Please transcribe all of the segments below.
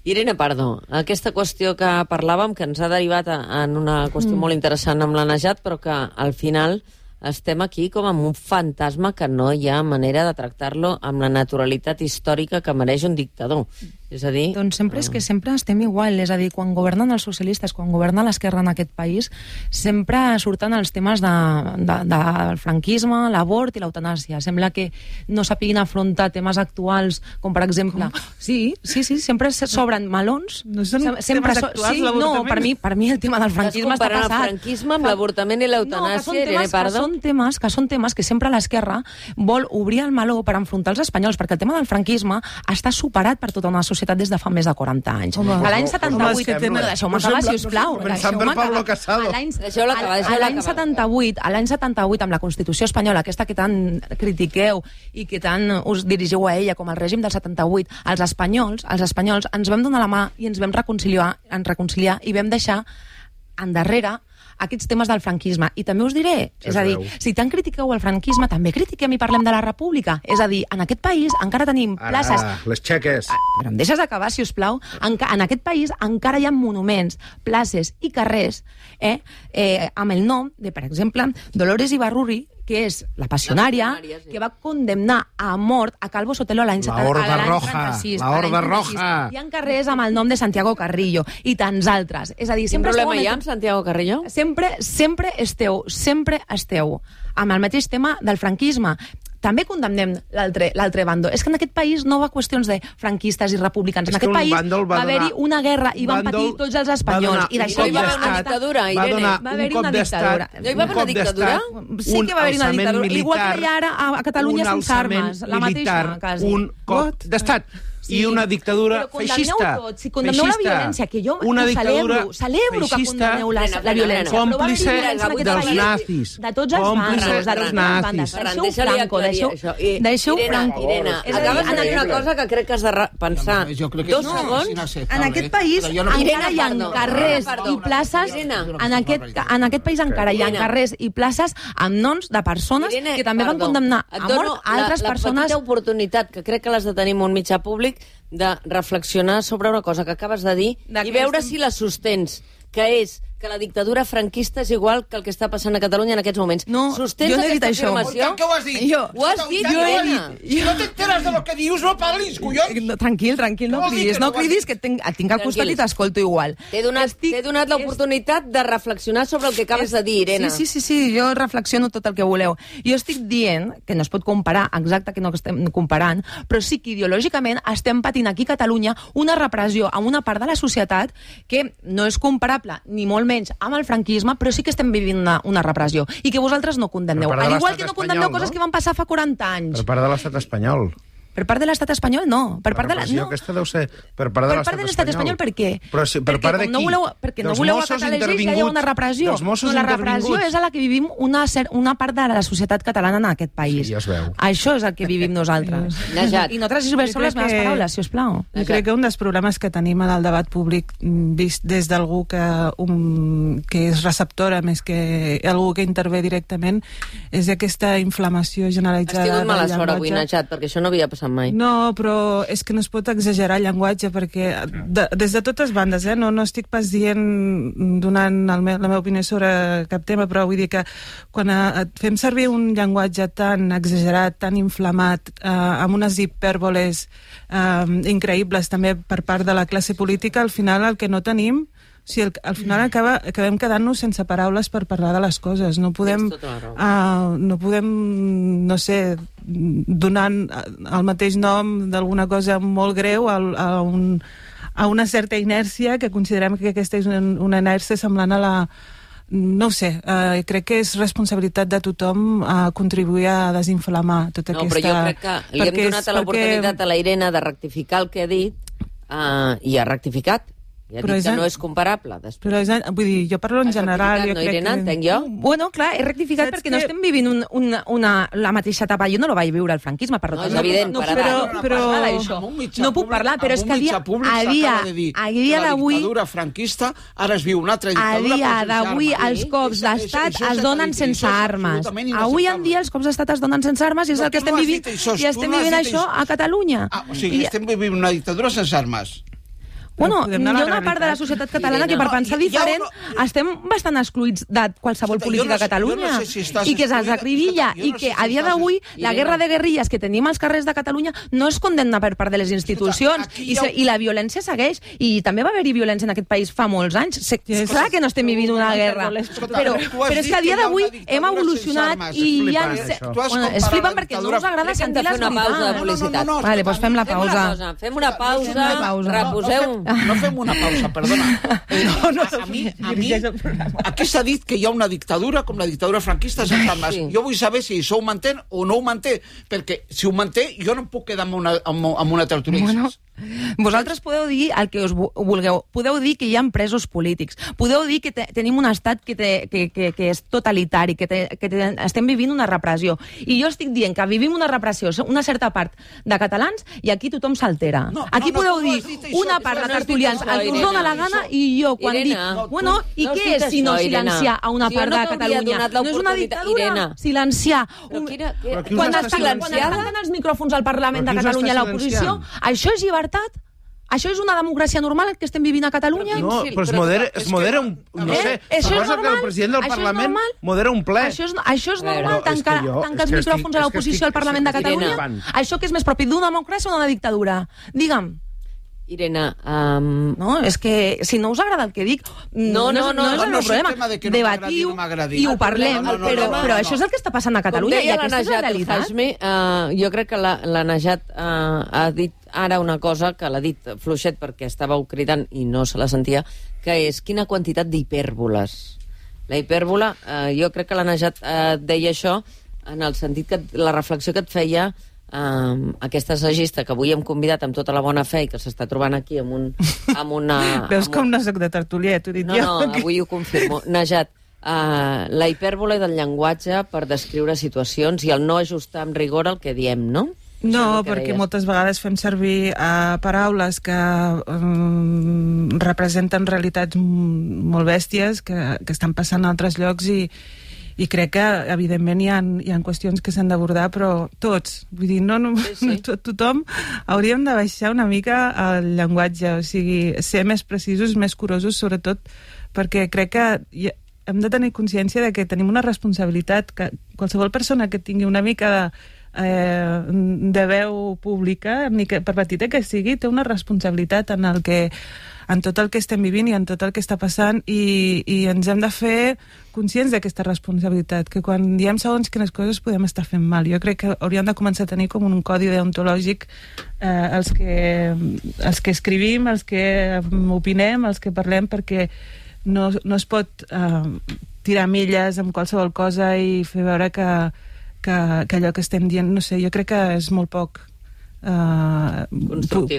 Irene Pardo, aquesta qüestió que parlàvem, que ens ha derivat en una qüestió molt interessant amb la Najat, però que al final estem aquí com amb un fantasma que no hi ha manera de tractar-lo amb la naturalitat històrica que mereix un dictador. És a dir... Doncs sempre estem igual, és a dir, quan governen els socialistes, quan governa l'esquerra en aquest país, sempre surten els temes del franquisme, l'avort i l'eutanàsia. Sembla que no sapiguin afrontar temes actuals, com per exemple... Sí, sempre s'obren melons. No són temes actuals, l'avortament? No, per mi el tema del franquisme està passat. El franquisme amb l'avortament i l'eutanàsia, Irene Pardo? Que són temes que sempre l'esquerra vol obrir el meló per enfrontar els espanyols, perquè el tema del franquisme està superat per tota una societat des de fa més de 40 anys. L'any 78... Deixeu-me acabar, sisplau. L'any 78, amb la Constitució espanyola, aquesta que tant critiqueu i que tant us dirigiu a ella com al règim del 78, els espanyols ens vam donar la mà i ens vam reconciliar i vam deixar endarrere aquests temes del franquisme. I també us diré, és a dir, si tant critiqueu el franquisme, també critiquem i parlem de la república. És a dir, en aquest país encara tenim places... Les xeques. Però em deixes acabar, si us plau. En aquest país encara hi ha monuments, places i carrers amb el nom de, per exemple, Dolores Ibarruri, que és la passionària, que va condemnar a mort a Calvo Sotelo l'any 36. La Horda Roja. Hi ha carrers amb el nom de Santiago Carrillo i tants altres. És a dir, sempre problema hi ha amb Santiago Carrillo? Sempre esteu amb el mateix tema del franquisme. També condemnem l'altre bando. És que en aquest país no va qüestions de franquistes i republicans. En aquest país va haver-hi una guerra i van patir tots els espanyols. I d'això hi va haver una dictadura, Irene. Va haver-hi una dictadura. No hi va haver una dictadura? Sí que va haver-hi una dictadura. Igual que hi ha ara a Catalunya sense armes. La mateixa, quasi. Un cop d'estat. I una dictadura feixista. Si condemneu la violència, que jo celebro que condemneu la violència. Còmplice dels nazis. De tots els bandes. Deixeu Franco. Irene, acabes de dir una cosa que crec que has de pensar. 2 segons. En aquest país encara hi ha carrers i places... En aquest país encara hi ha carrers i places amb noms de persones que també van condemnar a mort a altres persones. La petita oportunitat, que crec que l'has de tenir un mitjà públic, de reflexionar sobre una cosa que acabes de dir i veure si la sostens, que és que la dictadura franquista és igual que el que està passant a Catalunya en aquests moments. No, sostens jo no he dit aquesta això. afirmació? Què ho has dit? Ho has dit, Irene. Si no t'enteres de lo que dius, no parlis, collons! Tranquil, no cridis, que et tinc al costat i t'escolto igual. T'he donat l'oportunitat de reflexionar sobre el que acabes de dir, Irene. Sí, jo reflexiono tot el que voleu. Jo estic dient que no es pot comparar, exacte que no estem comparant, però sí que ideològicament estem patint aquí a Catalunya una repressió amb una part de la societat que no és comparable, ni molt menys amb el franquisme, però sí que estem vivint una repressió i que vosaltres no condemneu. Al igual que no condemneu coses que van passar fa 40 anys. Per part de l'estat espanyol. Per part de l'estat espanyol, no. Per part de aquesta deu ser per part de l'estat espanyol. Per què? Però per part de qui? Perquè no voleu acatar les lleis i ja hi ha una repressió. La repressió és a la que vivim una part de la societat catalana en aquest país. Sí, ja es veu. Això és el que vivim nosaltres. I no transverseu les meves paraules, si us plau. Jo crec que un dels problemes que tenim en el debat públic, vist des d'algú que és receptora més que algú que intervé directament, és aquesta inflamació generalitzada. Has tingut mala sort avui, Najat, perquè això no havia passat mai. No, però és que no es pot exagerar el llenguatge, perquè des de totes bandes, no estic pas donant la meva opinió sobre cap tema, però vull dir que quan fem servir un llenguatge tan exagerat, tan inflamat, amb unes hipèrboles increïbles també per part de la classe política, al final el que no tenim... O sigui, al final acabem quedant-nos sense paraules per parlar de les coses. No podem, no sé, donant el mateix nom d'alguna cosa molt greu a una certa inèrcia, que considerem que aquesta és una inèrcia semblant a la... No ho sé, crec que és responsabilitat de tothom contribuir a desinflamar tota aquesta... No, però jo crec que li hem donat l'oportunitat a la Irene de rectificar el que ha dit i ha rectificat. Ja dic que no és comparable. Però vull dir, jo parlo en general. No, Irene, entenc jo? Bueno, clar, he rectificat perquè no estem vivint la mateixa etapa. Jo no la vaig viure al franquisme, per tant. No, és evident, no puc parlar, però és que a dia d'avui... La dictadura franquista, ara es viu una altra dictadura. A dia d'avui els cops d'estat es donen sense armes. Avui en dia els cops d'estat es donen sense armes i és el que estem vivint. I estem vivint això a Catalunya. O sigui, estem vivint una dictadura sense armes. Bueno, podem hi anar ha a la una part de la realitat. societat catalana Irene, que per no, pensar hi ha diferent estem bastant excluïts de qualsevol Escolta, política a Catalunya jo no sé si estàs i que se'ls excluïda, acribilla escolta, jo i no que sé a si dia estàs d'avui la Irene. guerra de guerrilles que tenim als carrers de Catalunya no es condemna per part de les institucions aquí hi ha i la violència segueix i també va haver-hi violència en aquest país fa molts anys. Clar que no estem vivint una guerra, però és que a dia d'avui hem evolucionat i hi ha... És flipant perquè no us agrada sentir les veritats. Vale, doncs fem la pausa. Fem una pausa, reposeu. No fem una pausa, perdona. A mi, aquí s'ha dit que hi ha una dictadura com la dictadura franquista sense armes. Jo vull saber si això ho manté o no ho manté, perquè si ho manté jo no em puc quedar amb una tertúlia. Bueno, vosaltres podeu dir el que us vulgueu. Podeu dir que hi ha presos polítics. Podeu dir que tenim un estat que és totalitari, que estem vivint una repressió. I jo estic dient que vivim una repressió, una certa part de catalans, i aquí tothom s'altera. Aquí podeu dir una part de tertulians el que us dona la gana i jo quan dic... Bueno, i què és si no silenciar a una part de Catalunya? No és una dictadura silenciar... Quan estan els micròfons al Parlament de Catalunya a l'oposició, això és llibertat? Això és una democràcia normal que estem vivint a Catalunya? No, però es modera un... No sé, suposa que el president del Parlament modera un ple. Això és normal, tancar els micròfons a l'oposició al Parlament de Catalunya? Això que és més propi d'una democràcia o d'una dictadura? Digue'm. Irene, no, és que si no us agrada el que dic, no és el meu problema. Debatiu i ho parlem, però això és el que està passant a Catalunya i aquesta és la realitat. Jo crec que la Najat ha dit ara una cosa que l'ha dit fluixet perquè estàveu cridant i no se la sentia, que és quina quantitat d'hipèrboles. La hipèrbola, jo crec que la Najat deia això en el sentit que la reflexió que et feia aquesta assagista que avui hem convidat amb tota la bona fe i que s'està trobant aquí amb una... Veus com no soc de tertúlia, t'ho he dit jo. No, avui ho confirmo. Najat, la hipèrbole del llenguatge per descriure situacions i el no ajustar amb rigor el que diem, no? No, perquè moltes vegades fem servir paraules que representen realitats molt bèsties que estan passant a altres llocs i crec que, evidentment, hi ha qüestions que s'han d'abordar, però tots. Vull dir, no tothom hauríem de baixar una mica el llenguatge, o sigui, ser més precisos, més curosos, sobretot, perquè crec que hem de tenir consciència de que tenim una responsabilitat, que qualsevol persona que tingui una mica de veu pública, per petita que sigui, té una responsabilitat en tot el que estem vivint i en tot el que està passant i ens hem de fer conscients d'aquesta responsabilitat, que quan diem segons quines coses podem estar fent mal. Jo crec que hauríem de començar a tenir com un codi deontològic els que escrivim, els que opinem, els que parlem, perquè no es pot tirar milles amb qualsevol cosa i fer veure que allò que estem dient, no sé, jo crec que és molt poc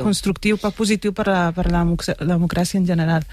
constructiu, poc positiu per la democràcia en general.